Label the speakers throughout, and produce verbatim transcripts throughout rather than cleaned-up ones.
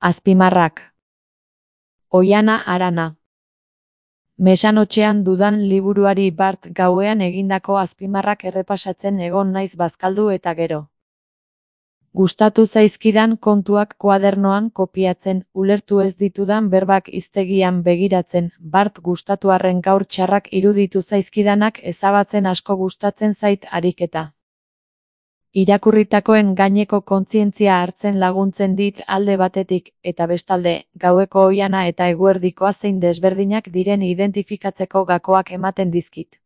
Speaker 1: Azpimarrak. Oihana Arana. Mesanotxean dudan liburuari bart gauean egindako azpimarrak errepasatzen egon naiz bazkaldu eta gero. Gustatu zaizkidan kontuak kuadernoan kopiatzen, ulertu ez ditudan berbak hiztegian begiratzen, bart gustatu arren gaur txarrak iruditu zaizkidanak ezabatzen asko gustatzen zait ariketa. Irakurritakoen gaineko kontzientzia hartzen laguntzen dit alde batetik, eta bestalde, gaueko oihana eta eguerdikoa zein desberdinak diren identifikatzeko gakoak ematen dizkit.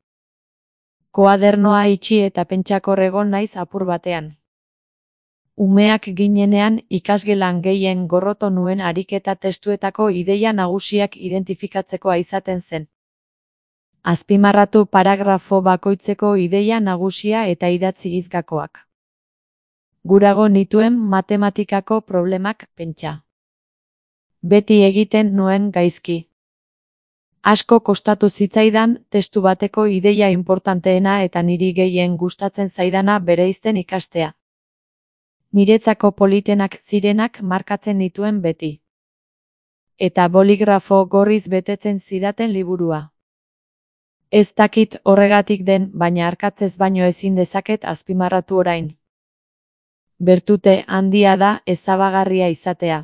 Speaker 1: Koadernoa itxi eta pentsakor egon naiz apur batean. Umeak ginenean ikasgelan gehien gorroto nuen ariketa testuetako ideia nagusiak identifikatzeko izaten zen. Azpimarratu paragrafo bakoitzeko ideia nagusia eta idatzi hizgakoak. Gurago nituen matematikako problemak pentsa. Beti egiten nuen gaizki. Asko kostatu zitzaidan testu bateko ideia inportanteena eta niri gehien gustatzen zaidana bereizten ikastea. Niretzako politenak zirenak markatzen nituen beti. Eta boligrafo gorriz betetzen zidaten liburua. Ez dakit horregatik den, baina arkatzez baino ezin dezaket azpimarratu orain. Bertute handia da ezabagarria izatea.